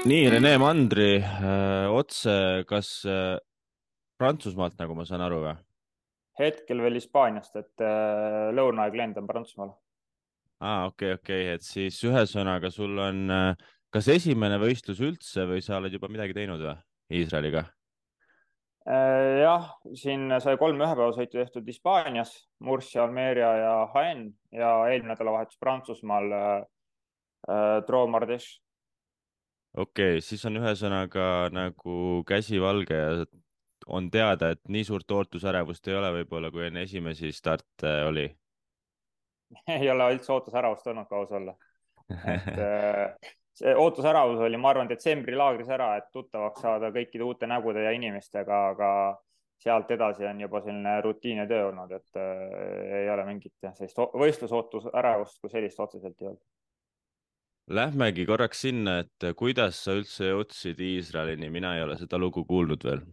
nii, Rene Mandri otse, kas Prantsusmaalt, nagu ma saan aru või? Hetkel veel Hispaaniast, et lõunaaeg lendan Prantsusmaale. Okei, et siis ühesõnaga sul on kas esimene võistlus üldse või sa oled juba midagi teinud või Iisraeliga? Jah, siin sai 3 ühepäevasõitu tehtud Hispaanias, Murcia, Almeria ja Jaén ja eelmine nädalavahetus Prantsusmaal Trois Mardes. Siis on ühesõnaga nagu käsi valge ja on teada, et nii suurt ootusärevust ei ole võib-olla, kui enne esimesi starte oli. Ei ole üldse ootusäravust olnud, kui aus olla. Et see ootusäravus oli, ma arvan, detsembri laagris ära, et tuttavaks saada kõikide uute nägude ja inimestega, aga sealt edasi on juba selline rutiinne töö olnud, et ei ole mingit sellist võistlusootusärevust kui sellist otseselt ei olnud. Lähmegi korraks sinna, et kuidas sa üldse jõudsid Iisraelini, mina ei ole seda lugu kuulnud veel.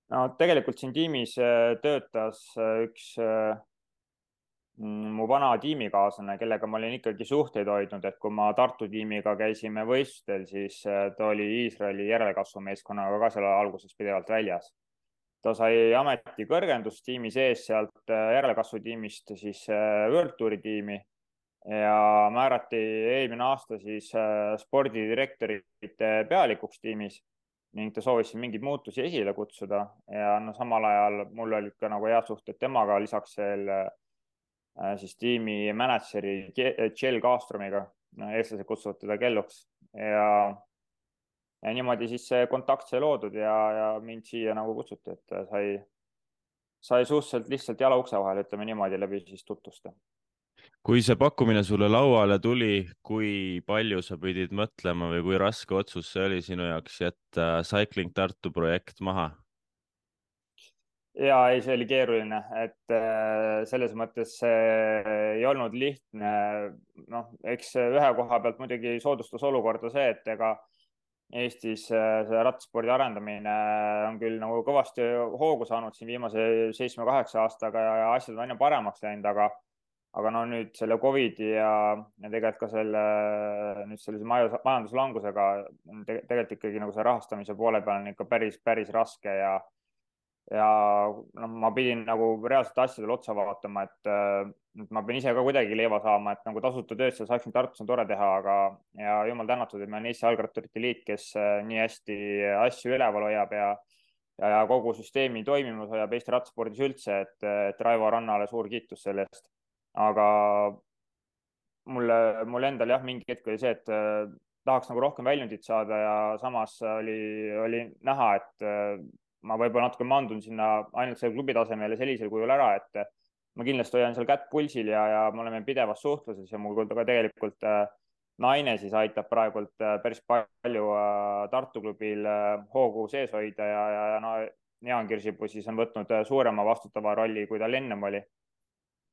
No tegelikult siin tiimis töötas üks mu vana tiimikaaslane, kellega ma olin ikkagi suhteid hoidnud, et kui ma Tartu tiimiga käisime võistlustel, siis ta oli Iisraeli järelkasvumeeskonnaga ka seal alguses pidevalt väljas. Ta sai ametikõrgendust tiimi sees sealt järelkasvutiimist siis World Touri tiimi ja määrati eelmine aasta siis spordidirektorite pealikuks tiimis ning ta soovis siin mingeid muutusi esile kutsuda ja no samal ajal mul olid ka nagu head suhted temaga, lisaks veel siis tiimi mänedžeri Kjell Kaastromiga, eestlased kutsuvad teda Kelluks ja niimoodi siis see kontakt sai loodud ja mind siia nagu kutsuti, et sai suhteliselt lihtsalt jala ukse vahel, ütleme niimoodi, läbi siis tutvuste. Kui see pakkumine sulle lauale tuli, kui palju sa pidid mõtlema või kui raske otsus see oli sinu jaoks jätta Cycling Tartu projekt maha? Ja ei, see oli keeruline, et selles mõttes see ei olnud lihtne. Noh, eks ühe koha pealt muidugi soodustas olukorda see, et ega Eestis see rattaspordi arendamine on küll nagu kõvasti hoogu saanud siin viimase 7-8 aastaga ja asjad on aina paremaks läinud, aga no nüüd selle Covidi ja tegelikult ka selle nüüd sellise majanduslangusega on tegelikult ikkagi nagu see rahastamise poole peal on ikka päris raske ja noh, ma pidin nagu reaalselt asjadele otsa vaatama, et ma pean ise ka kuidagi leiva saama, et nagu tasuta tööd seal saaksin Tartus on tore teha, aga ja jumal tänatud, et meil on Eesti Jalgratturite Liit, kes nii hästi asju üleval hoiab ja kogu süsteemi toimimus hoiab Eesti rattaspordis üldse, et Raivo Rannale suur kiitus selle eest. Aga mulle endal jah, mingi hetk oli see, et tahaks nagu rohkem väljundit saada ja samas oli näha, et ma võib-olla natuke mandun sinna ainult selle klubi tasemel ja sellisel kujul ära, et ma kindlasti hoian seal kätt pulsil ja me oleme pidevas suhtluses ja mul ka tegelikult naine siis aitab praegult päris palju Tartu klubil hoogu sees hoida ja no Jaan Kirsipuu siis on võtnud suurema vastutava rolli, kui tal ennem oli.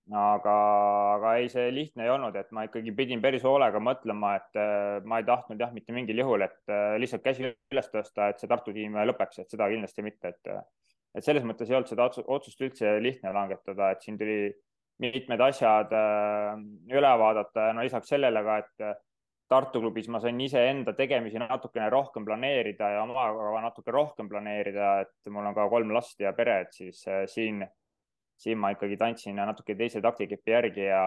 Aga ei, see lihtne ei olnud, et ma ikkagi pidin päris hoolega mõtlema, et ma ei tahtnud jah, mitte mingil juhul, et lihtsalt käsi üles tõsta, et see Tartu tiim lõpeks, et seda kindlasti mitte, et selles mõttes ei olnud seda otsust üldse lihtne langetada, et siin tuli mitmed asjad üle vaadata ja no lisaks sellele ka, et Tartu klubis ma sain iseenda tegemisi natukene rohkem planeerida ja omaga natuke rohkem planeerida, et mul on ka 3 last ja pere, et siis siin ma ikkagi tantsin natuke teise taktikepi järgi ja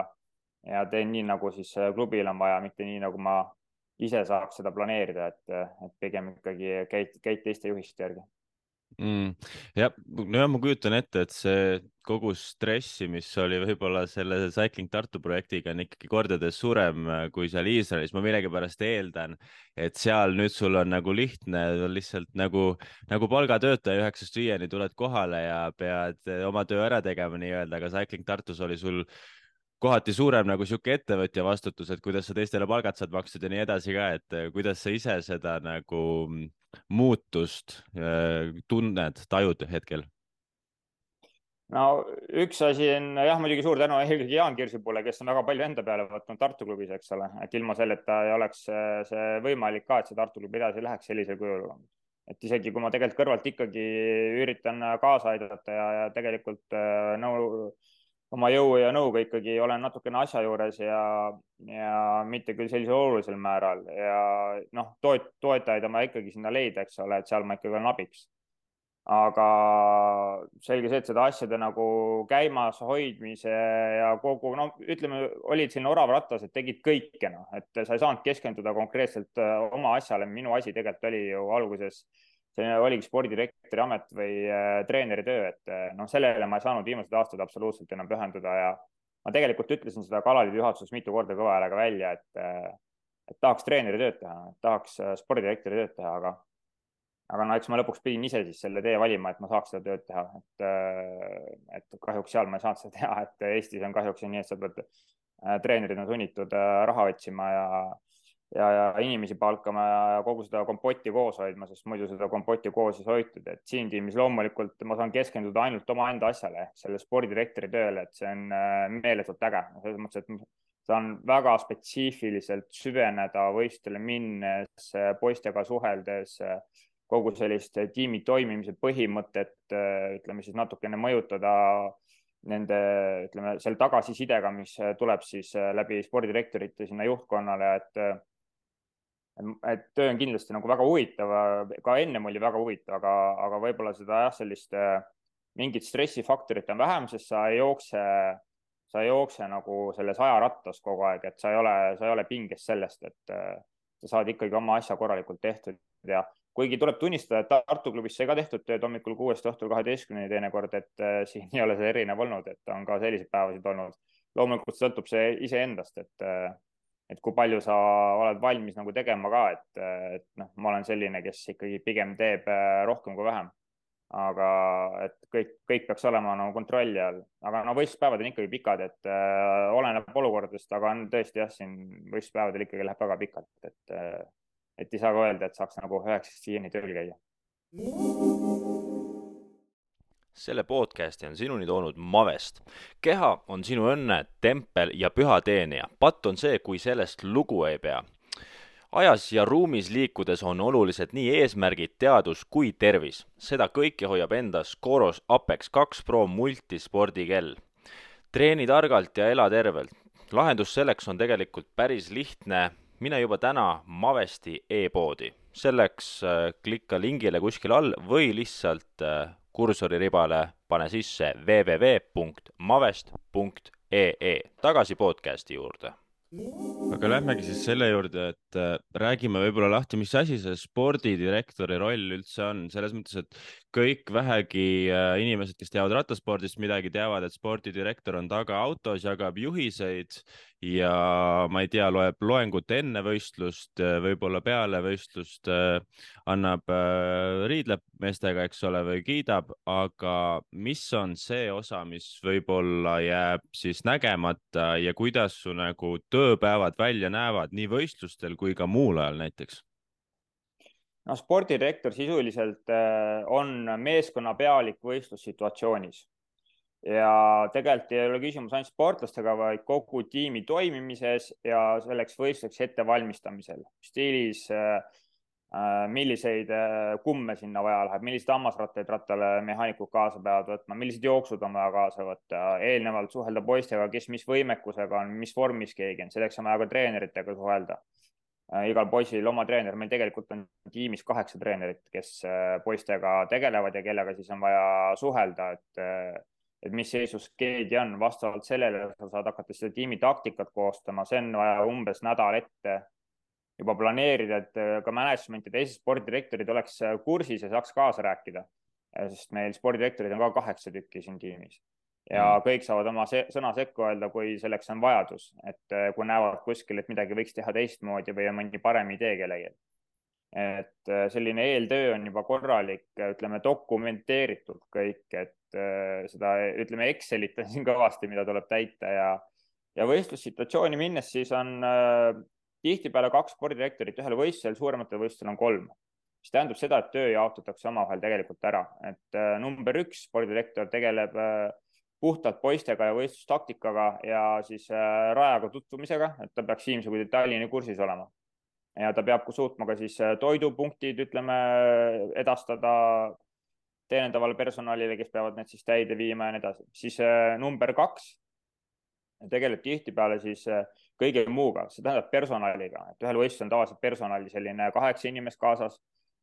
teen nii, nagu siis klubil on vaja, mitte nii, nagu ma ise saaks seda planeerida, et pigem ikkagi käid teiste juhiste järgi. mm,. jah, no ma kujutan ette, et see kogu stressi, mis oli võib-olla selle Cycling Tartu projektiga, on ikkagi kordades suurem kui seal Iisraelis. ma millegipärast eeldan, et seal nüüd sul on nagu lihtne, lihtsalt nagu palgatöötaja 9-5 tuled kohale ja pead oma töö ära tegema nii-öelda, aga Cycling Tartus oli sul kohati suurem nagu sihuke ettevõtja vastutus, et kuidas sa teistele palgad saad makstud ja nii edasi ka, et kuidas sa ise seda nagu muutust tunned, tajud hetkel? No üks asi on jah, muidugi suur tänu eelkõige Jaan Kirsipuule, kes on väga palju enda peale võtnud Tartu klubis, eks ole, et ilma selleta ei oleks see võimalik ka, et see Tartu klubi edasi läheks sellisel kujul. Et isegi kui ma tegelikult kõrvalt ikkagi üritan kaasa aidata ja tegelikult oma jõu ja nõuga ikkagi olen natukene asja juures ja mitte küll sellisel olulisel määral ja noh, toetajaid on vaja ikkagi sinna leida, eks ole, et seal ma ikkagi olen abiks. Aga selge see, et seda asjade nagu käimas hoidmise ja kogu, no ütleme, olid selline orav rattas, et tegid kõike, noh, et sa ei saanud keskenduda konkreetselt oma asjale. Minu asi tegelikult oli ju alguses, see oligi spordidirektori amet või treeneri töö, et noh, sellele ma ei saanud viimased aastad absoluutselt enam pühenduda ja ma tegelikult ütlesin seda Kalaliidu juhatuses mitu korda kõva häälega välja, et tahaks treeneri tööd teha, tahaks spordidirektori tööd teha, aga no eks ma lõpuks pidin ise siis selle tee valima, et ma saaks seda tööd teha, et kahjuks seal ma ei saanud seda teha, et Eestis on kahjuks nii, et sa pead, treenerid on sunnitud raha otsima ja inimesi palkama ja kogu seda kompotti koos hoidma, sest muidu seda kompotti koos ei hoitud, et siin tiimis loomulikult ma saan keskenduda ainult omaenda asjale, selle spordidirektori tööle, et see on meeletult äge, selles mõttes, et saan väga spetsiifiliselt süveneda võistlustele minnes, poistega suheldes, kogu sellist tiimi toimimise põhimõtet, ütleme siis natukene mõjutada nende, ütleme, selle tagasisidega, mis tuleb siis läbi spordidirektorite sinna juhtkonnale, et töö on kindlasti nagu väga huvitav, ka ennem oli väga huvitav, aga võib-olla seda jah, sellist mingit stressifaktorit on vähem, sest sa ei jookse nagu selles ajarattas kogu aeg, et sa ei ole pinges sellest, et sa saad ikkagi oma asja korralikult tehtud ja kuigi tuleb tunnistada, et Tartu klubis sai ka tehtud tööd hommikul 6 õhtul 12 teinekord, et siin ei ole see erinev olnud, et on ka selliseid päevasid olnud. Loomulikult sõltub see iseendast, et kui palju sa oled valmis nagu tegema ka, et noh, ma olen selline, kes ikkagi pigem teeb rohkem kui vähem. Aga et kõik peaks olema nagu kontrolli all, aga no võistluspäevad on ikkagi pikad, et oleneb olukordadest, aga on tõesti jah, siin võistluspäevadel ikkagi läheb väga pikalt, et ei saa ka öelda, et saaks nagu 9-5 tööl käia. Selle podcasti on sinuni toonud Mavest. Keha on sinu õnne, tempel ja püha teenija. Patt on see, kui sellest lugu ei pea. Ajas ja ruumis liikudes on olulised nii eesmärgid, teadus kui tervis. Seda kõike hoiab endas Coros Apex 2 Pro multispordikell. Treeni targalt ja ela tervelt. Lahendus selleks on tegelikult päris lihtne. Mine juba täna Mavesti e-poodi. Selleks klikka lingile kuskil all või lihtsalt kursori ribale pane sisse www.mavest.ee. Tagasi podcasti juurde. Aga lähmegi siis selle juurde, et räägime võib-olla lahti, mis asi see spordidirektori roll üldse on. Selles mõttes, et kõik vähegi inimesed, kes teavad rattaspordist midagi, teavad, et spordidirektor on taga autos, jagab juhiseid ja ma ei tea, loeb loengut enne võistlust, võib-olla peale võistlust, annab riidleb meestega, eks ole, või kiidab, aga mis on see osa, mis võib-olla jääb siis nägemata ja kuidas su nagu tööpäevad välja näevad nii võistlustel kui ka muul ajal näiteks? No spordidirektor sisuliselt on meeskonna pealik võistlussituatsioonis ja tegelikult ei ole küsimus ainult sportlastega, vaid kogu tiimi toimimises ja selleks võistluseks ettevalmistamisel. Stiilis, milliseid kumme sinna vaja läheb, milliseid hammasrattaid rattale mehaanikud kaasa peavad võtma, millised jooksud on vaja kaasa võtta, eelnevalt suhelda poistega, kes mis võimekusega on, mis vormis keegi on, selleks on vaja ka treeneritega suhelda. Igal poisil oma treener, meil tegelikult on tiimis 8 treenerit, kes poistega tegelevad ja kellega siis on vaja suhelda, et mis seisus keegi on, vastavalt sellele sa saad hakata seda tiimi taktikat koostama, see on vaja umbes nädal ette juba planeerida, et ka management ja teised spordidirektorid oleks kursis ja saaks kaasa rääkida, sest meil spordidirektorid on ka 8 tükki siin tiimis ja kõik saavad oma sõna sekku öelda, kui selleks on vajadus, et kui näevad kuskil, et midagi võiks teha teistmoodi või on mõni parem idee kellelgi. Et selline eeltöö on juba korralik, ütleme dokumenteeritud kõik, et seda, ütleme, Excelit on siin kõvasti, mida tuleb täita ja võistlussituatsiooni minnes siis on tihtipeale 2 spordidirektorit ühel võistlusel, suurematel võistlusel on 3, mis tähendab seda, et töö jaotatakse omavahel tegelikult ära, et number 1 spordidirektor tegeleb puhtalt poistega ja võistlustaktikaga ja siis rajaga tutvumisega, et ta peaks viimse kui detailini kursis olema. Ja ta peab suutma ka siis toidupunktid, ütleme, edastada teenindavale personalile, kes peavad need siis täide viima ja nii edasi. Siis number 2 tegeleb tihtipeale siis kõige muuga, see tähendab personaliga, et ühel võistlusel on tavaliselt personali selline 8 inimest kaasas,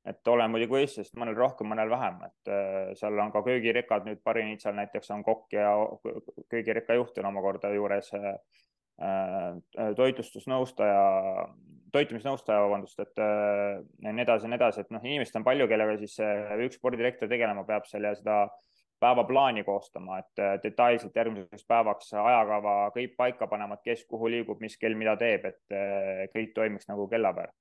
et olen muidugi võistlusest mõnel rohkem, mõnel vähem, et seal on ka köögirikkad, nüüd Parinitsal näiteks on kokk ja köögirikka juht on omakorda juures toitumisnõustaja, vabandust, et nii edasi, et noh, inimest on palju, kellega siis üks spordidirektor tegelema peab seal ja seda päevaplaani koostama, et detailselt järgmiseks päevaks ajakava kõik paika panema, et kes kuhu liigub, mis kell mida teeb, et kõik toimiks nagu kellapäev.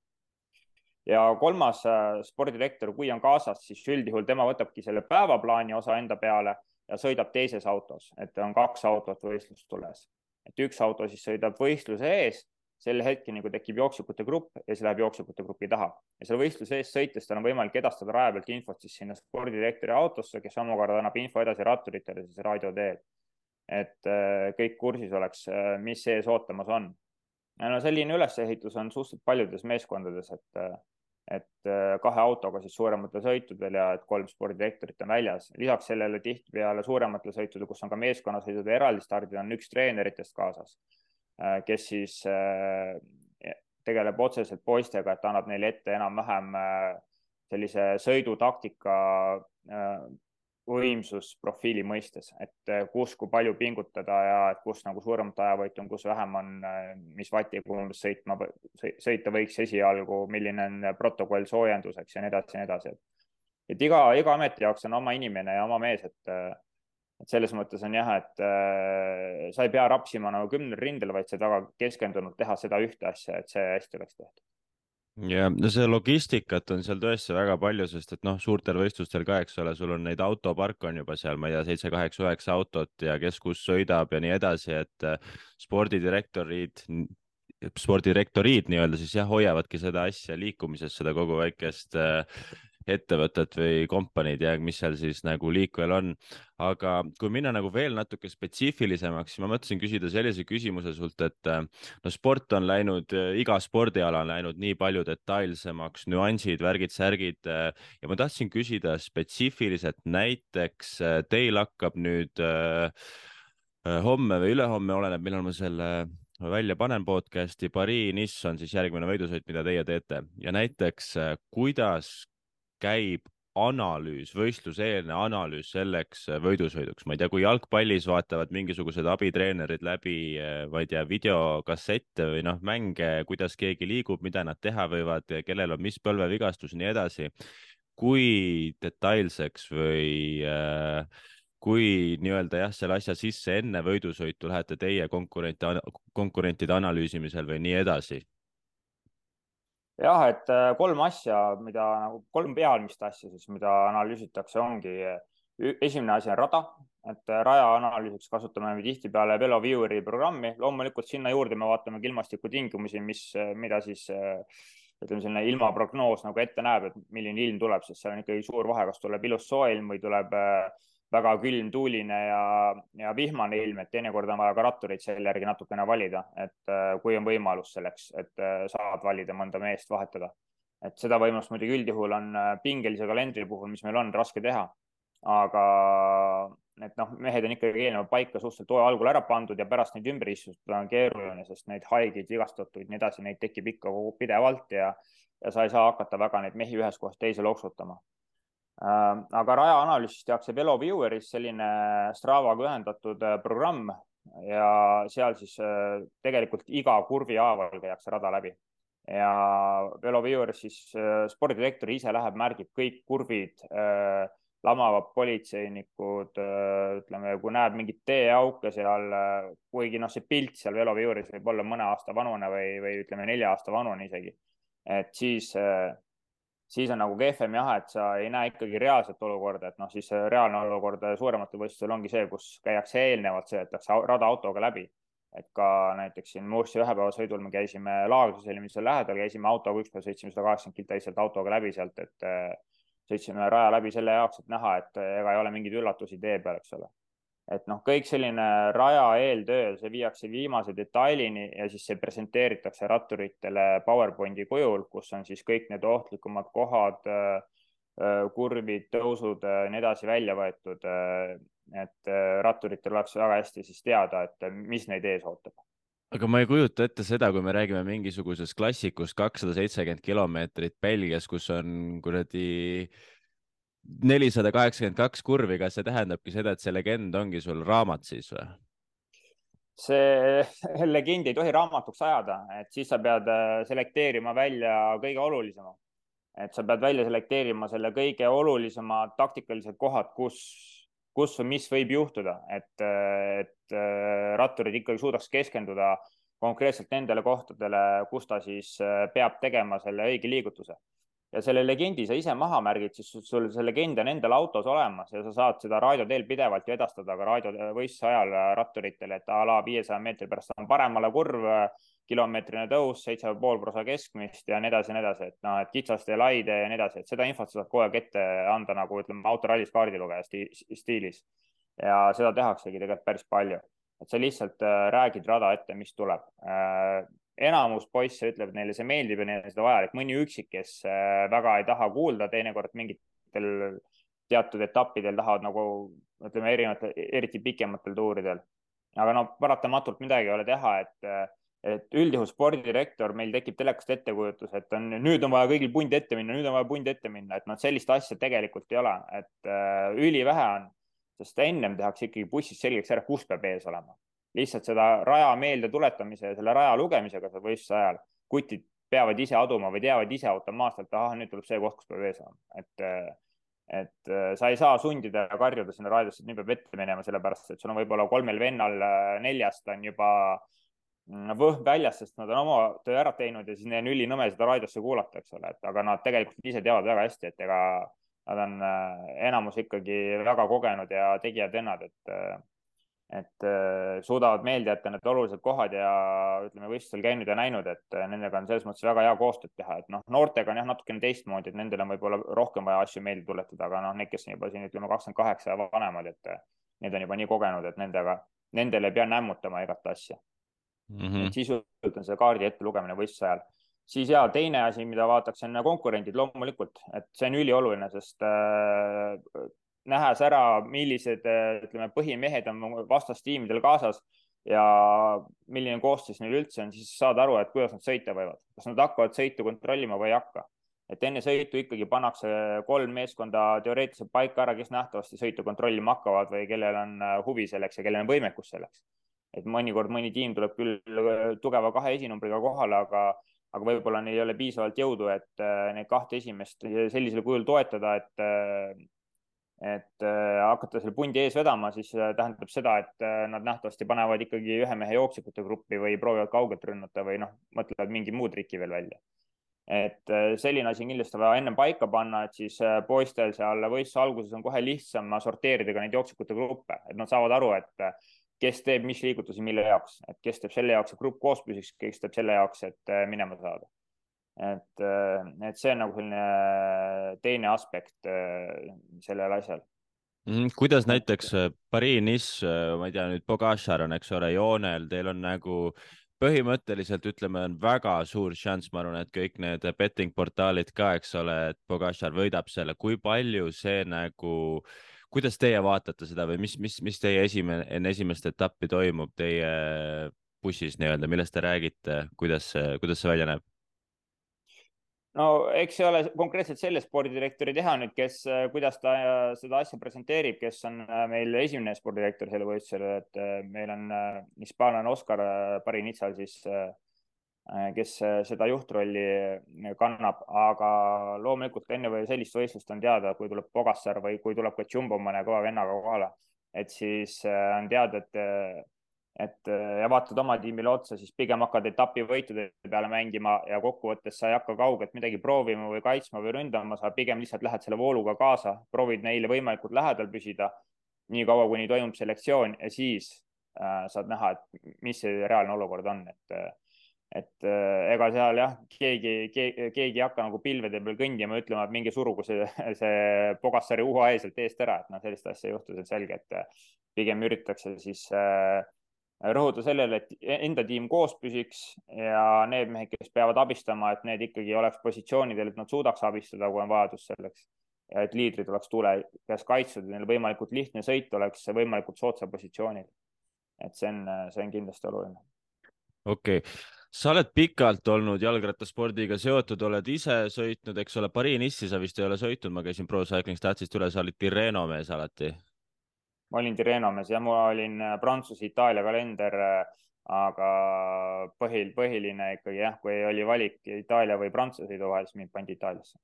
Ja kolmas spordidirektor, kui on kaasas, siis üldjuhul tema võtabki selle päevaplaani osa enda peale ja sõidab teises autos, et on 2 autot võistlust tules. Et üks auto siis sõidab võistluse ees, selle hetkeni, kui tekib jooksjukute grupp ja see läheb jooksjukute grupi taha. Ja selle võistluse ees sõites tal on võimalik edastada raja pealt infot siis sinna spordidirektori autosse, kes omakorda annab info edasi ratturitele siis raadio teel. Et kõik kursis oleks, mis ees ootamas on. Ja no selline ülesehitus on suhteliselt paljudes meeskondades, et 2 autoga siis suurematel sõitudel ja et 3 spordidirektorit on väljas. Lisaks sellele tihtipeale suurematel sõitudel, kus on ka meeskonnasõidud ja eraldi stardid, on üks treeneritest kaasas, kes siis tegeleb otseselt poistega, et annab neile ette enam-vähem sellise sõidutaktika võimsusprofiili mõistes, et kus, kui palju pingutada ja et kus nagu suuremat ajavõitu on, kus vähem on, mis vatiga umbes sõita võiks esialgu, milline on protokoll soojenduseks ja nii edasi. Et iga ameti jaoks on oma inimene ja oma mees, et selles mõttes on jah, et sa ei pea rapsima nagu 10 rindel, vaid sa väga keskendunud teha seda ühte asja, et see hästi oleks tehtud. Ja no see logistikat on seal tõesti väga palju, sest et noh, suurtel võistlustel ka, eks ole, sul on neid autopark on juba seal, ma ei tea, 7, 8, 9 autot ja kes kus sõidab ja nii edasi, et spordidirektorid nii-öelda siis jah, hoiavadki seda asja liikumises, seda kogu väikest ettevõtet või kompaniid ja mis seal siis nagu liikvel on. Aga kui minna nagu veel natuke spetsiifilisemaks, siis ma mõtlesin küsida sellise küsimuse sult, et no sport on läinud, iga spordiala on läinud nii palju detailsemaks, nüansid, värgid, särgid ja ma tahtsin küsida spetsiifiliselt, näiteks teil hakkab nüüd homme või ülehomme, oleneb, millal ma selle välja panen podcasti, Paris-Nice on siis järgmine võidusõit, mida teie teete ja näiteks kuidas käib analüüs, võistluseelne analüüs selleks võidusõiduks. Ma ei tea, kui jalgpallis vaatavad mingisugused abitreenerid läbi, ma ei tea, videokassette või noh, mänge, kuidas keegi liigub, mida nad teha võivad, kellel on mis põlvevigastus ja nii edasi. Kui detailseks või kui nii-öelda jah, selle asja sisse enne võidusõitu lähete teie konkurentide analüüsimisel või nii edasi? Jah, et 3 asja, nagu 3 pealmist asja siis, mida analüüsitakse, ongi. Esimene asi on rada, et raja analüüsiks kasutame tihtipeale VeloVieweri programmi. Loomulikult sinna juurde me vaatame ilmastikutingimusi, mida siis ütleme, selline ilmaprognoos nagu ette näeb, et milline ilm tuleb, sest seal on ikkagi suur vahe, kas tuleb ilus soe ilm või tuleb väga külm, tuuline ja vihmane ilm, et teinekord on vaja ka rattureid selle järgi natukene valida, et kui on võimalus selleks, et saad valida mõnda meest vahetada. Et seda võimalust muidugi üldjuhul on pingelise kalendri puhul, mis meil on raske teha. Aga et noh, mehed on ikkagi eelnevalt paika suhteliselt hooaja algul ära pandud ja pärast neid ümber istutada on keeruline, sest neid haigeid, vigastatuid, nii edasi, neid tekib ikka pidevalt ja sa ei saa hakata väga neid mehi ühest kohast teise loksutama. Aga raja analüüsis tehakse VeloVieweris selline Stravaga ühendatud programm ja seal siis tegelikult iga kurvi haaval käiakse rada läbi. Ja VeloVieweris siis spordidirektor ise läheb, märgib kõik kurvid, lamavad politseinikud, ütleme, kui näeb mingit teeauke seal, kuigi noh, see pilt seal VeloVieweris võib olla mõne aasta vanune või ütleme 4 aasta vanune isegi, et siis on nagu kehvem jah, et sa ei näe ikkagi reaalset olukorda, et noh, siis reaalne olukord suurematel võistlustel ongi see, kus käiakse eelnevalt, sõidetakse rada autoga läbi. Et ka näiteks siin Mursi ühepäevasõidul me käisime Laagris eelmisel lähedal, käisime autoga üks päev, sõitsime 180 kiltaiselt autoga läbi sealt, et sõitsime raja läbi selle jaoks, et näha, et ega ei ole mingeid üllatusi tee peal, eks ole. Et noh, kõik selline raja eeltöö, see viiakse viimase detailini ja siis see presenteeritakse ratturitele PowerPointi kujul, kus on siis kõik need ohtlikumad kohad, kurvid, tõusud, nii edasi välja võetud. et ratturitel oleks väga hästi siis teada, et mis neid ees ootab. aga ma ei kujuta ette seda, kui me räägime mingisugusest klassikust 270 kilomeetrit Belgias, kus on kuradi 482 kurvi, kas see tähendabki seda, et see legend ongi sul raamat siis või? See legend ei tohi raamatuks ajada, et siis sa pead selekteerima välja kõige olulisema. Et sa pead välja selekteerima selle kõige olulisemad taktikalised kohad, kus või mis võib juhtuda, et ratturid ikkagi suudaks keskenduda konkreetselt nendele kohtadele, kus ta siis peab tegema selle õige liigutuse. Ja selle legendi sa ise maha märgid, siis sul see legend on endal autos olemas ja sa saad seda raadio teel pidevalt ju edastada ka raadiovõistluse ajal ratturitele, et a la 500 meetri pärast on paremale kurv, kilomeetrine tõus, 7,5% keskmist ja nii edasi ja nii edasi, et noh, et kitsaste ja laide ja nii edasi, et seda infot sa saad kogu aeg ette anda nagu ütleme autorallis kaardilugeja stiilis. Ja seda tehaksegi tegelikult päris palju, et sa lihtsalt räägid rada ette, mis tuleb. Enamus poisse ütleb, et neile see meeldib ja neile seda vajalik. Mõni üksik, kes väga ei taha kuulda, teinekord mingitel teatud etappidel tahavad nagu ütleme erinevatel, eriti pikematel tuuridel. Aga no paratamatult midagi ei ole teha, et üldjuhul spordidirektor meil tekib telekast ettekujutus, et nüüd on vaja kõigil punt ette minna, nüüd on vaja punt ette minna, et noh, sellist asja tegelikult ei ole, et ülivähe on, sest ennem tehakse ikkagi bussis selgeks ära, kus peab ees olema. Lihtsalt seda raja meelde tuletamise ja selle raja lugemisega seal võistluse ajal kutid peavad ise aduma või teavad ise automaatselt, ahah, nüüd tuleb see koht, kus peab ees olema. Et sa ei saa sundida ja karjuda sinna raadiosse, et nüüd peab ette minema, sellepärast et sul on võib-olla 3 vennal 4 on juba võhm väljas, sest nad on oma töö ära teinud ja siis neil on ülinõme seda raadiosse kuulata, eks ole, et aga nad tegelikult ise teavad väga hästi, et ega nad on enamus ikkagi väga kogenud ja tegijad vennad, et suudavad meelde jätta need olulised kohad ja ütleme võistlusel käinud ja näinud, et nendega on selles mõttes väga hea koostööd teha, et noh, noortega on jah natukene teistmoodi, et nendel on võib-olla rohkem vaja asju meelde tuletada, aga noh, need, kes on juba siin ütleme 28 ja vanemad, et need on juba nii kogenud, et nendele ei pea nämmutama igat asja. Et sisuliselt on see kaardi ette lugemine võistluse ajal. Siis ja teine asi, mida vaataks, on konkurendid loomulikult, et see on ülioluline, sest nähes ära, millised ütleme, põhimehed on vastastiimidel kaasas ja milline koostis neil üldse on, siis saad aru, et kuidas nad sõita võivad. Kas nad hakkavad sõitu kontrollima või ei hakka. Et enne sõitu ikkagi pannakse 3 meeskonda teoreetiliselt paika ära, kes nähtavasti sõitu kontrollima hakkavad või kellel on huvi selleks ja kellel on võimekus selleks. Et mõnikord mõni tiim tuleb küll tugeva 2 esinumbriga kohale, aga võib-olla neil ei ole piisavalt jõudu, et neid 2 esimest sellisel kujul toetada, et hakata selle pundi ees vedama, siis tähendab seda, et nad nähtavasti panevad ikkagi 1 mehe jooksikute gruppi või proovivad kaugelt rünnata või noh, mõtlevad mingi muu triki veel välja. Et selline asi on kindlasti vaja ennem paika panna, et siis poistel seal võistluse alguses on kohe lihtsam sorteerida ka neid jooksikute gruppe, et nad saavad aru, et kes teeb mis liigutusi mille jaoks, et kes teeb selle jaoks, et grupp koos püsiks, kes teeb selle jaoks, et minema saada. Et see on nagu selline teine aspekt sellel asjal. Kuidas näiteks Paris-Nice, ma ei tea, nüüd Pogačar on, eks ole, joonel, teil on nagu põhimõtteliselt ütleme, on väga suur šanss, ma arvan, et kõik need betting portaalid ka, eks ole, et Pogačar võidab selle, kui palju see nagu, kuidas teie vaatate seda või mis teie enne esimest etappi toimub teie bussis nii-öelda, millest te räägite, kuidas see välja näeb? No eks see ole konkreetselt selle spordidirektori teha nüüd, kuidas ta seda asja presenteerib, kes on meil esimene spordidirektor selle võistlusel, et meil on hispaanlane Oscar Parinitsal siis, kes seda juhtrolli kannab, aga loomulikult enne või sellist võistlust on teada, kui tuleb Pogačar või kui tuleb ka Jumbo mõne kõva vennaga kohale, et siis on teada, ja vaatad oma tiimile otsa, siis pigem hakkad etapivõitude peale mängima ja kokkuvõttes sa ei hakka kaugelt midagi proovima või kaitsma või ründama, sa pigem lihtsalt lähed selle vooluga kaasa, proovid neile võimalikult lähedal püsida, nii kaua, kuni toimub selektsioon ja siis saad näha, et mis see reaalne olukord on. Et ega seal jah, keegi ei hakka nagu pilvede peal kõndima ja ütlema, et mingi surugu see Pogačari UAE sealt eest ära, et sellist asja ei juhtu, see on selge, et pigem üritatakse siis rõhuda sellele, et enda tiim koos püsiks ja need mehed, kes peavad abistama, et need ikkagi oleks positsioonidel, et nad suudaks abistada, kui on vajadus selleks. ja et liidrid oleks tule käes kaitstud ja neil võimalikult lihtne sõit oleks võimalikult soodsal positsioonil. Et see on kindlasti oluline. okei okay. Sa oled pikalt olnud jalgrattaspordiga seotud, oled ise sõitnud, eks ole, Paris-Nice'i sa vist ei ole sõitnud, ma käisin Pro Cycling Statsist üle, sa olid Tirreno mees alati. Ma olin Tirreno mees ja ma olin Prantsuse-Itaalia kalender, aga põhiline ikkagi jah, kui oli valik Itaalia või Prantsuse sõidu vahel, siis mind pandi Itaaliasse.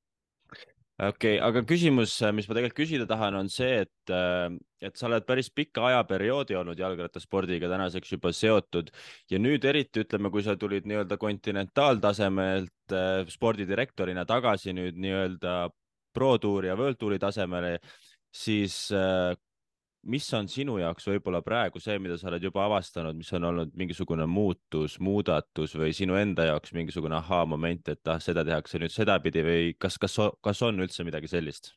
okei okay, aga küsimus, mis ma tegelikult küsida tahan, on see, et sa oled päris pika ajaperioodi olnud jalgrattaspordiga tänaseks juba seotud ja nüüd eriti ütleme, kui sa tulid nii-öelda kontinentaaltasemelt spordidirektorina tagasi nüüd nii-öelda Pro Touri ja World Touri tasemele, siis mis on sinu jaoks võib-olla praegu see, mida sa oled juba avastanud, mis on olnud mingisugune muudatus või sinu enda jaoks mingisugune ahaa-moment, et seda tehakse nüüd sedapidi või kas on üldse midagi sellist?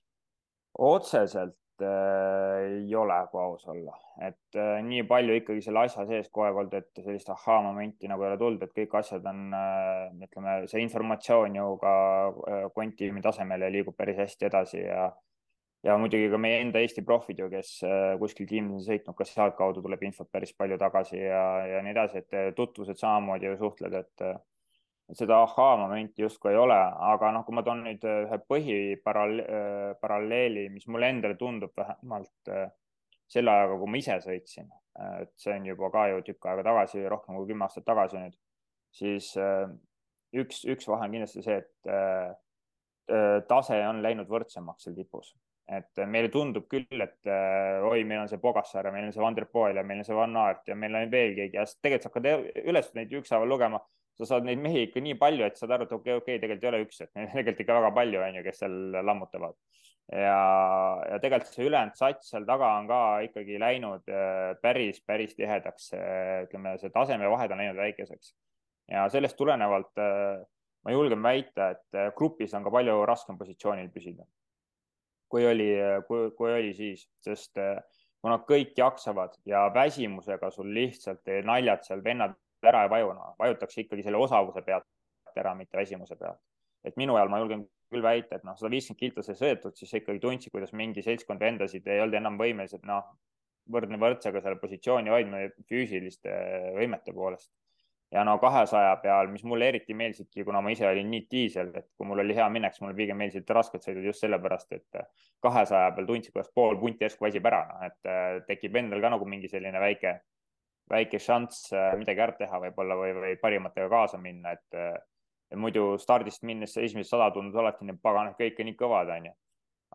Otseselt ei ole, kui aus olla, et nii palju ikkagi selle asja sees kogu aeg olnud, et sellist ahaa-momenti nagu ei ole tulnud, et kõik asjad on, ütleme, see informatsioon ju ka konttiimi tasemel liigub päris hästi edasi ja muidugi ka meie enda Eesti profid ju, kes kuskil tiimides on sõitnud, ka sealtkaudu tuleb infot päris palju tagasi ja nii edasi, et tutvused samamoodi ju suhtled, et seda ahaa-momenti justkui ei ole, aga noh, kui ma toon nüüd ühe põhiparalleeli, mis mulle endale tundub vähemalt selle ajaga, kui ma ise sõitsin, et see on juba ka ju tükk aega tagasi, rohkem kui 10 aastat tagasi nüüd, siis üks vahe on kindlasti see, et tase on läinud võrdsemaks seal tipus. Et meile tundub küll, et oi, meil on see Pogačar ja meil on see Van der Poel ja meil on see Van Aert ja meil on veel keegi ja tegelikult sa hakkad üles neid ükshaaval lugema, sa saad neid mehi ikka nii palju, et saad aru, et okei, tegelikult ei ole üks, et neid tegelikult ikka väga palju on ju, kes seal lammutavad. Ja tegelikult see ülejäänud sats seal taga on ka ikkagi läinud päris tihedaks, ütleme, see tasemevahed on läinud väikeseks. Ja sellest tulenevalt ma julgen väita, et grupis on ka palju raskem positsioonil püsida kui oli siis, sest kuna kõik jaksavad ja väsimusega sul lihtsalt naljad seal vennad ära ei vaju, vajutakse ikkagi selle osavuse pealt ära, mitte väsimuse pealt. Et minu ajal ma julgen küll väita, et 150 kiltose sõetud, siis ikkagi tundsid, kuidas mingi seltskond vendasid ei olnud enam võimelised võrdne võrdsega selle positsiooni hoidma füüsiliste võimete poolest. Ja 200 peal, mis mulle eriti meeldisidki, kuna ma ise olin nii diisel, et kui mul oli hea minek, siis mulle pigem meeldisid rasked sõidud just sellepärast, et 200 peal tundsid, kuidas pool punti järsku väsib ära, et tekib endal ka nagu mingi selline väike šanss midagi ära teha võib-olla või parimatega kaasa minna, et muidu stardist minnes esimesed 100 tundus alati need pagan, kõik on nii kõvad, on ju.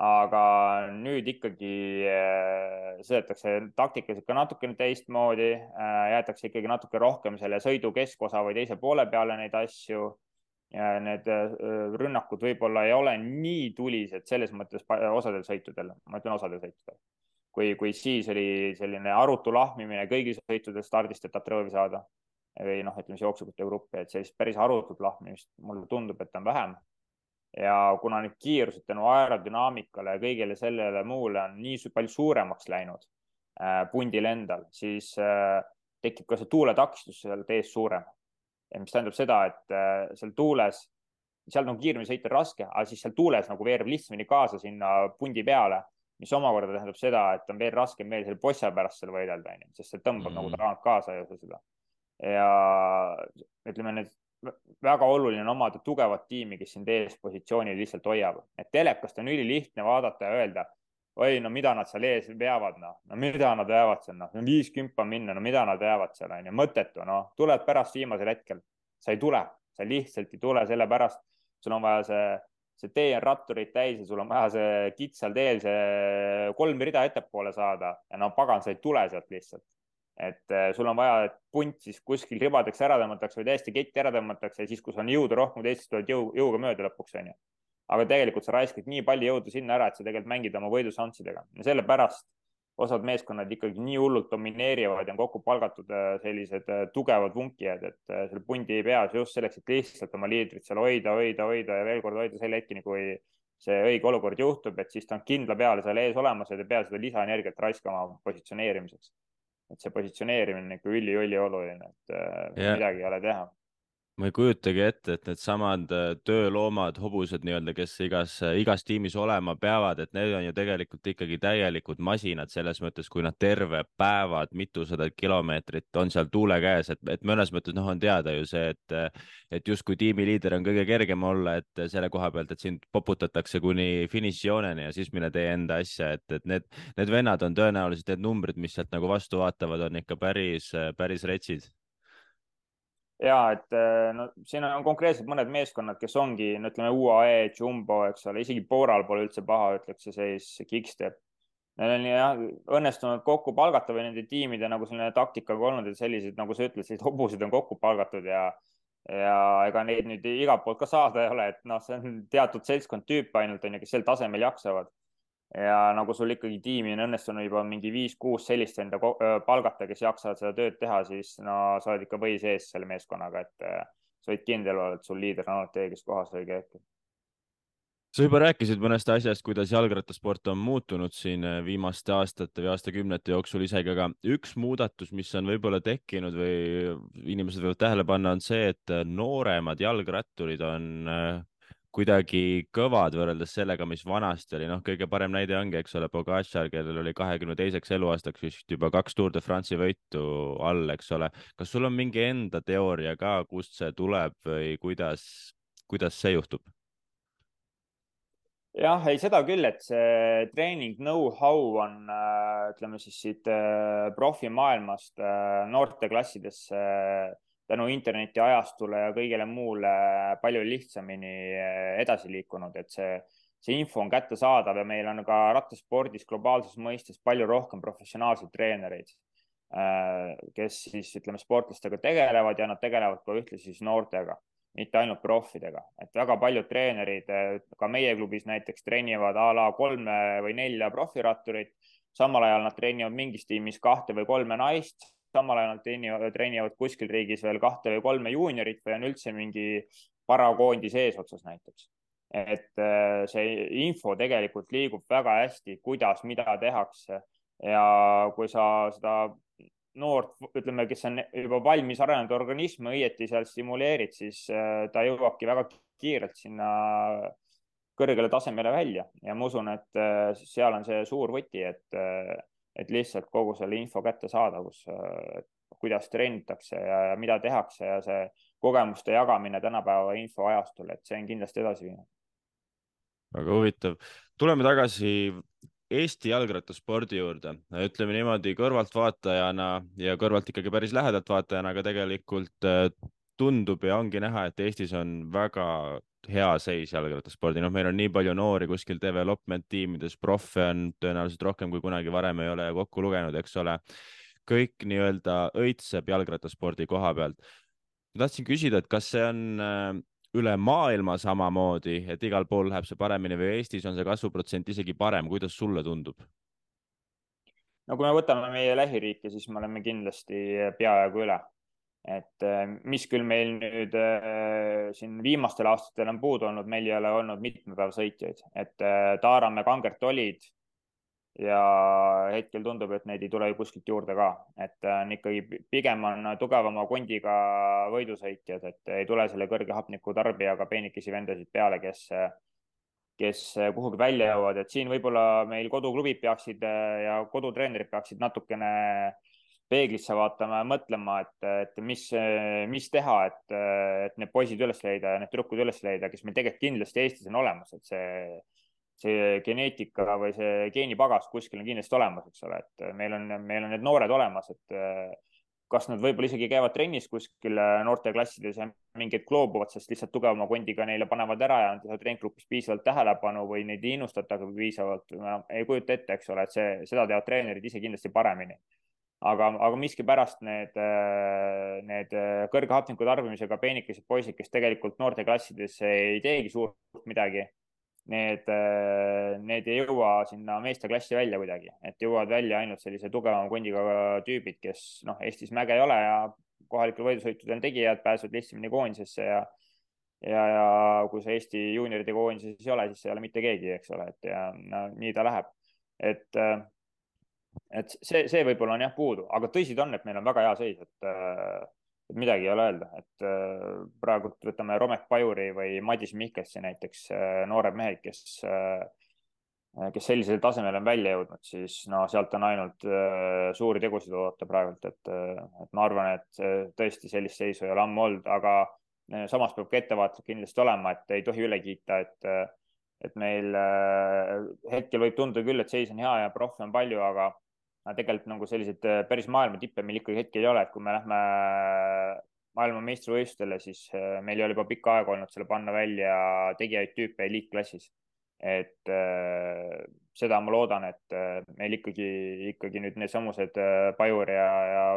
Aga nüüd ikkagi sõidetakse taktikaliselt ka natukene teistmoodi, jäetakse ikkagi natuke rohkem selle sõidu keskosa või teise poole peale neid asju. Need rünnakud võib-olla ei ole nii tulised selles mõttes osadel sõitudel, ma ütlen osadel sõitudel. Kui siis oli selline arutu lahmimine kõigil sõitudel stardist, et Tatrõovi saada või ütleme siis jooksukute gruppi, et sellist päris arutut lahmimist mulle tundub, et on vähem. Ja kuna need kiirused tänu aerodünaamikale ja kõigele sellele muule on nii palju suuremaks läinud pundil endal, siis tekib ka see tuuletakistus seal ees suurem. Mis tähendab seda, et seal tuules, seal on kiiremini sõita raske, aga siis seal tuules nagu veereb lihtsamini kaasa sinna pundi peale, mis omakorda tähendab seda, et on veel raskem veel selle bossa pärast seal võidelda, sest see tõmbab nagu tagant kaasa ja seda. Ja ütleme, need väga oluline on omada tugevat tiimi, kes sind ees positsioonil lihtsalt hoiab. Et telekast on ülilihtne vaadata ja öelda, oi, mida nad seal ees veavad, mida nad veavad seal, 50 minna, mida nad veavad seal, on ju, mõttetu, tuled pärast viimasel hetkel. Sa ei tule, sa lihtsalt ei tule sellepärast, sul on vaja see tee on ratturid täis ja sul on vaja see kitsal teel see 3 rida ettepoole saada ja pagan, sa ei tule sealt lihtsalt. Et sul on vaja, et punt siis kuskil ribadeks ära tõmmatakse või täiesti ketti ära tõmmatakse ja siis, kus on jõudu rohkem, teisest tuled jõuga mööda lõpuks, on ju. Aga tegelikult sa raiskad nii palju jõudu sinna ära, et sa tegelikult mängid oma võidušanssidega. Ja sellepärast osad meeskonnad ikkagi nii hullult domineerivad ja on kokku palgatud sellised tugevad vunkijad, et selle pundi ei pea just selleks, et lihtsalt oma liidrit seal hoida ja veel kord hoida selle hetkini, kui see õige olukord juhtub, et siis ta on kindla peale seal ees olemas ja ta peab seda lisaenergiat raiskama positsioneerimiseks. Et see positsioneerimine on ikka üli oluline, et midagi ei ole teha. ma ei kujutagi ette, et needsamad tööloomad, hobused nii-öelda, kes igas tiimis olema peavad, et need on ju tegelikult ikkagi täielikud masinad selles mõttes, kui nad terve päevad, mitusada kilomeetrit on seal tuule käes, et mõnes mõttes noh, on teada ju see, et justkui tiimiliider on kõige kergem olla, et selle koha pealt, et sind poputatakse kuni finišijooneni ja siis mine tee enda asja, et need vennad on tõenäoliselt need numbrid, mis sealt nagu vastu vaatavad, on ikka päris retsid. ja et no siin on konkreetselt mõned meeskonnad, kes ongi, no ütleme UAE, Jumbo, eks ole, isegi Boral pole üldse paha, ütleks see seis, Quickstep. Neil on jah õnnestunud kokku palgata või nende tiimide nagu selline taktikaga olnud, et sellised, nagu sa ütled, sellised hobused on kokku palgatud ja ega neid nüüd igalt poolt ka saada ei ole, et noh, see on teatud seltskond tüüpe ainult on ju, kes sel tasemel jaksavad. Ja nagu sul ikkagi tiimi on õnnestunud juba mingi 5-6 sellist enda palgata, kes jaksavad seda tööd teha, siis no sa oled ikka või sees selle meeskonnaga, et sa võid kindel olla, et sul liider on alati õiges kohas õige hetkel. sa juba rääkisid mõnest asjast, kuidas jalgrattasport on muutunud siin viimaste aastate või aastakümnete jooksul isegi, aga üks muudatus, mis on võib-olla tekkinud või inimesed võivad tähele panna, on see, et nooremad jalgratturid on kuidagi kõvad võrreldes sellega, mis vanasti oli. noh, kõige parem näide ongi, eks ole, Pogačar, kellel oli 22. eluaastaks vist juba 2 Tour de France'i võitu all, eks ole. kas sul on mingi enda teooria ka, kust see tuleb või kuidas see juhtub? jah, ei seda küll, et see treening know-how on, ütleme siis siit profimaailmast noorteklassidesse tänu internetiajastule ja kõigele muule palju lihtsamini edasi liikunud, et see info on kättesaadav ja meil on ka rattaspordis globaalses mõistes palju rohkem professionaalseid treenereid, kes siis ütleme sportlastega tegelevad ja nad tegelevad ka ühtlasi siis noortega, mitte ainult profidega, et väga paljud treenerid ka meie klubis näiteks treenivad a la 3 või 4 profiratturit, samal ajal nad treenivad mingis tiimis 2 või 3 naist, samal ajal nad treenivad kuskil riigis veel 2 või 3 juuniorit või on üldse mingi parakoondis eesotsas näiteks. et see info tegelikult liigub väga hästi, kuidas, mida tehakse ja kui sa seda noort, ütleme, kes on juba valmis arenenud organismi õieti seal stimuleerid, siis ta jõuabki väga kiirelt sinna kõrgele tasemele välja ja ma usun, et seal on see suur võti, et lihtsalt kogu selle info kättesaadavus, kuidas treenitakse ja mida tehakse ja see kogemuste jagamine tänapäeva infoajastul, et see on kindlasti edasi viinud. väga huvitav. tuleme tagasi Eesti jalgrattaspordi juurde, ütleme niimoodi kõrvaltvaatajana ja kõrvalt ikkagi päris lähedalt vaatajana, aga tegelikult tundub ja ongi näha, et Eestis on väga hea seis jalgrattaspordi. noh, meil on nii palju noori kuskil development tiimides, profe on tõenäoliselt rohkem kui kunagi varem ei ole kokku lugenud, eks ole. kõik nii-öelda õitseb jalgrattaspordi koha pealt. ma tahtsin küsida, et kas see on üle maailma samamoodi, et igal pool läheb see paremini või Eestis on see kasvuprotsent isegi parem, kuidas sulle tundub? no kui me võtame meie lähiriike, siis me oleme kindlasti peaaegu üle. et mis küll meil nüüd siin viimastel aastatel on puudu olnud, meil ei ole olnud mitmepäevasõitjaid, et Taaramäe, Kangert olid ja hetkel tundub, et neid ei tule ju kuskilt juurde ka, et on ikkagi pigem on tugevama kondiga võidusõitjad, et ei tule selle kõrge hapniku tarbijaga peenikesi vendasid peale, kes kuhugi välja jõuavad, et siin võib-olla meil koduklubid peaksid ja kodutreenerid peaksid natukene peeglisse vaatama ja mõtlema, et mis teha, et need poisid üles leida ja need tüdrukud üles leida, kes meil tegelikult kindlasti Eestis on olemas, et see geneetika või see geenipagas kuskil on kindlasti olemas, eks ole, et meil on need noored olemas, et kas nad võib-olla isegi käivad trennis kuskil noorteklassides ja mingid loobuvad, sest lihtsalt tugevama kondiga neile panevad ära ja nad ei saa treeninggrupis piisavalt tähelepanu või neid ei innustatakse piisavalt, ei kujuta ette, eks ole, et seda teevad treenerid ise kindlasti paremini. aga miskipärast need kõrge hapniku tarbimisega peenikesed poisid, kes tegelikult noorteklassides ei teegi suurt midagi, need ei jõua sinna meesteklassi välja kuidagi, et jõuavad välja ainult sellise tugevama kondiga tüübid, kes noh, Eestis mäge ei ole ja kohalikel võidusõitudel tegijad pääsevad lihtsamini koondisesse ja kui sa Eesti juunioride koondises ei ole, siis ei ole mitte keegi, eks ole, et ja no, nii ta läheb. et see võib-olla on jah puudu, aga tõsi ta on, et meil on väga hea seis, et midagi ei ole öelda, et praegu võtame Romek Pajuri või Madis Mihkelsi näiteks, noored mehed, kes sellisel tasemel on välja jõudnud, siis no sealt on ainult suuri tegusid oodata praegult, et ma arvan, et tõesti sellist seisu ei ole ammu olnud, aga samas peab ka ettevaatlik kindlasti olema, et ei tohi üle kiita, et meil hetkel võib tunduda küll, et seis on hea ja proffe on palju, aga tegelikult nagu selliseid päris maailma tippe meil ikkagi hetkel ei ole, et kui me lähme maailma meistrivõistlustele, siis meil ei ole juba pikka aega olnud selle panna välja tegijaid tüüpe eliitklassis. Et seda ma loodan, et meil ikkagi nüüd need samused Pajur ja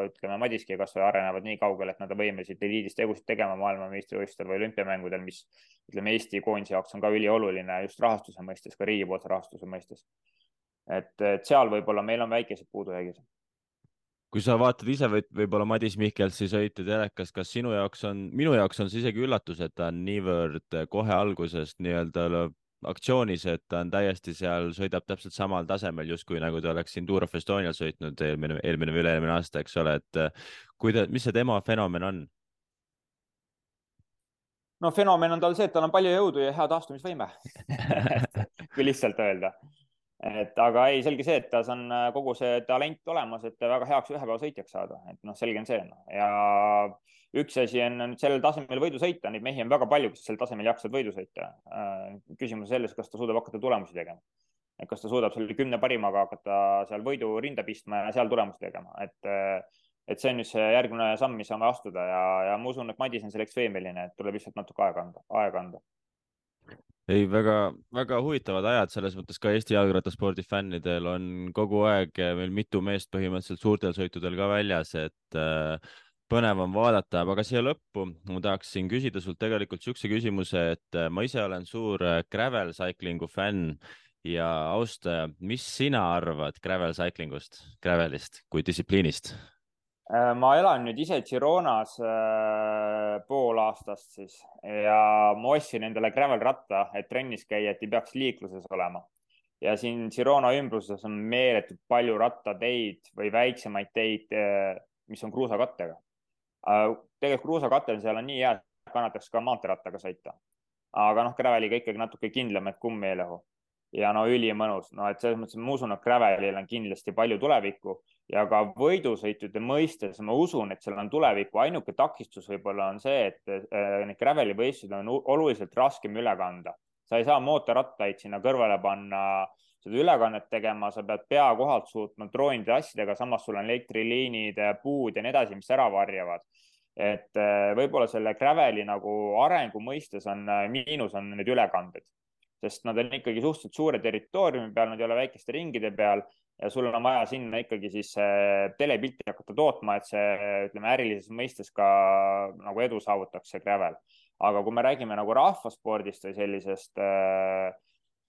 ütleme Madiski kas või arenevad nii kaugele, et nad on võimelised eliidis tegusid tegema maailma meistrivõistlustel või olümpiamängudel, mis ütleme Eesti koondise jaoks on ka ülioluline just rahastuse mõistes, ka riigipoolse rahastuse mõistes. Et seal võib-olla meil on väikesed puudujäägid. kui sa vaatad ise võib-olla Madis Mihkelsi sõite telekas, kas minu jaoks on see isegi üllatus, et ta on niivõrd kohe algusest nii-öelda aktsioonis, et ta on täiesti seal, sõidab täpselt samal tasemel, justkui nagu ta oleks siin Tour of Estonial sõitnud eelmine või üle-eelmine aasta, eks ole, et mis see tema fenomen on? No fenomen on tal see, et tal on palju jõudu ja hea taastumisvõime kui lihtsalt öelda. Et aga ei, selge see, et tas on kogu see talent olemas, et väga heaks ühepäevasõitjaks saada, et noh, selge on see no. Ja üks asi on nüüd sellel tasemel võidu sõita, neid mehi on väga palju, kes sel tasemel jaksavad võidu sõita. Küsimus selles, kas ta suudab hakata tulemusi tegema. Et kas ta suudab selle 10 parimaga hakata seal võidu rinda pistma ja seal tulemusi tegema. Et see on nüüd see järgmine samm, mis saame astuda ja ma usun, et Madis on selleks võimeline, et tuleb lihtsalt natuke aega anda. Ei, väga huvitavad ajad, selles mõttes ka Eesti jalgrattaspordi fännidel on kogu aeg meil mitu meest põhimõtteliselt suurtel sõitudel ka väljas, et põnev on vaadata, aga siia lõppu ma tahaksin küsida sult tegelikult niisuguse küsimuse, et ma ise olen suur gravel cyclingu fänn ja austaja. Mis sina arvad gravel cyclingust, gravelist kui distsipliinist? Ma elan nüüd ise Gironas pool aastast siis ja ma ostsin endale gravel ratta, et trennis käia, et ei peaks liikluses olema. Ja siin Girona ümbruses on meeletult palju rattateid või väiksemaid teid, mis on kruusakattega. Tegelikult kruusakattel seal on nii hea, et kannataks ka maanteerattaga sõita. Aga noh, graveliga ikkagi natuke kindlam, et kumm meelehu. Ja no ülimõnus, no et selles mõttes ma usun, et gravelil on kindlasti palju tulevikku ja ka võidusõitude mõistes ma usun, et seal on tulevikku. Ainuke takistus võib-olla on see, et need graveli võistlused on oluliselt raskem üle kanda. Sa ei saa mootorrattaid sinna kõrvale panna, seda ülekannet tegema, sa pead pea kohalt suutma droonide asjadega, samas sul on elektriliinid, puud ja nii edasi, mis ära varjavad. Et võib-olla selle graveli nagu arengu mõistes on miinus on need ülekanded. Sest nad on ikkagi suhteliselt suure territooriumi peal, nad ei ole väikeste ringide peal ja sul on vaja sinna ikkagi siis telepilti hakata tootma, et see, ütleme, ärilises mõistes ka nagu edu saavutaks see gravel. Aga kui me räägime nagu rahvaspordist või sellisest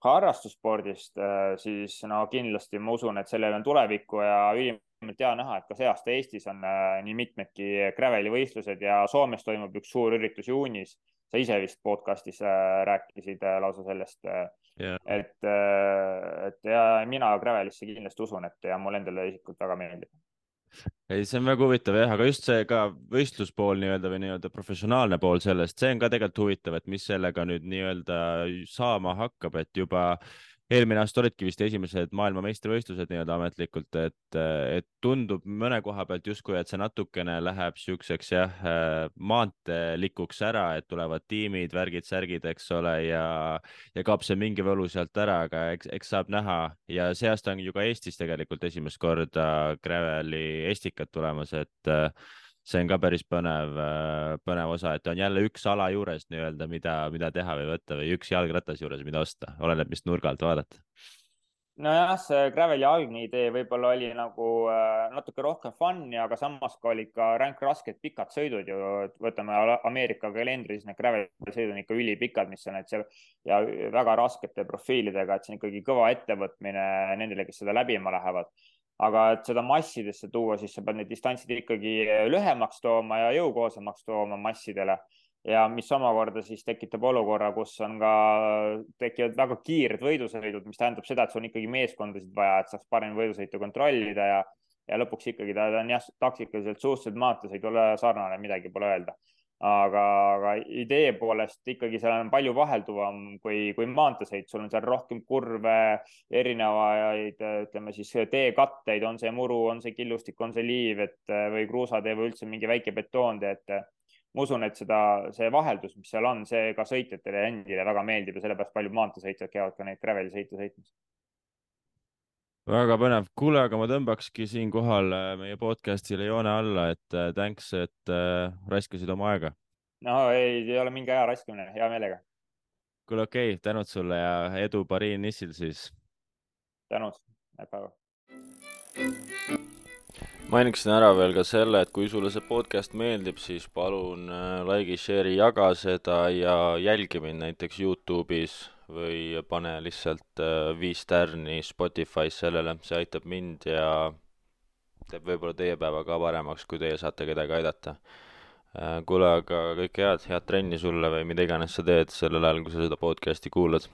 harrastusspordist, siis no kindlasti ma usun, et sellel on tulevikku ja ülimalt hea näha, et ka see aasta Eestis on nii mitmedki graveli võistlused ja Soomes toimub üks suur üritus juunis. Sa ise vist podcastis rääkisid lausa sellest, et ja mina gravelisse kindlasti usun, et ja mul endale isiklikult väga meeldib. Ei, see on väga huvitav jah, aga just see ka võistluspool nii-öelda või nii-öelda professionaalne pool sellest, see on ka tegelikult huvitav, et mis sellega nüüd nii-öelda saama hakkab, et juba eelmine aasta olidki vist esimesed maailmameistrivõistlused nii-öelda ametlikult, et tundub mõne koha pealt justkui, et see natukene läheb siukseks jah, maanteelikuks ära, et tulevad tiimid, värgid, särgid, eks ole, ja kaob see mingi võlu sealt ära, aga eks saab näha ja see aasta on ju ka Eestis tegelikult esimest korda graveli estikad tulemas, et see on ka päris põnev osa, et on jälle üks ala juures nii-öelda, mida teha või võtta või üks jalgratas juures, mida osta, oleneb, mis nurga alt vaadata. Nojah, see graveli algne idee võib-olla oli nagu natuke rohkem fun'i, aga samas ka olid ka rasked pikad sõidud ju, võtame Ameerika kalendris, need graveli sõidud on ikka ülipikad, mis on, et seal ja väga raskete profiilidega, et see on ikkagi kõva ettevõtmine nendele, kes seda läbima lähevad. Aga et seda massidesse tuua, siis sa pead need distantsid ikkagi lühemaks tooma ja jõukohasemaks tooma massidele. Ja mis omakorda siis tekitab olukorra, kus on ka tekivad väga kiired võidusõidud, mis tähendab seda, et sul on ikkagi meeskondasid vaja, et saaks parem võidusõitu kontrollida ja ja lõpuks ikkagi ta on jah, taktikaliselt suhteliselt maanteesõidule sarnane, midagi pole öelda. Aga idee poolest ikkagi seal on palju vahelduvam kui maanteesõit, sul on seal rohkem kurve, erinevaid, ütleme siis teekatteid, on see muru, on see killustik, on see liiv, või kruusatee või üldse mingi väike betoontee, ma usun, et see vaheldus, mis seal on, see ka sõitjatele endile väga meeldib ja sellepärast paljud maanteesõitjad käivad ka neid gravel'i sõite sõitmas. väga põnev. Kuule, aga ma tõmbakski siinkohal meie podcastile joone alla, et thanks, et raiskasid oma aega. No ei ole mingi aja raiskamine, hea meelega. Kuule, okei, tänud sulle ja edu Pariin-Nissil siis. Tänud, näeb päeva. Mainiksin ära veel ka selle, et kui sulle see podcast meeldib, siis palun like'i, share'i, jaga seda ja jälgi mind näiteks YouTube'is või pane lihtsalt 5 tärni Spotify's sellele, see aitab mind ja teeb võib-olla teie päeva ka paremaks, kui teie saate kedagi aidata. Kuule, aga kõike head trenni sulle või mida iganes sa teed sellel ajal, kui sa seda podcasti kuulad.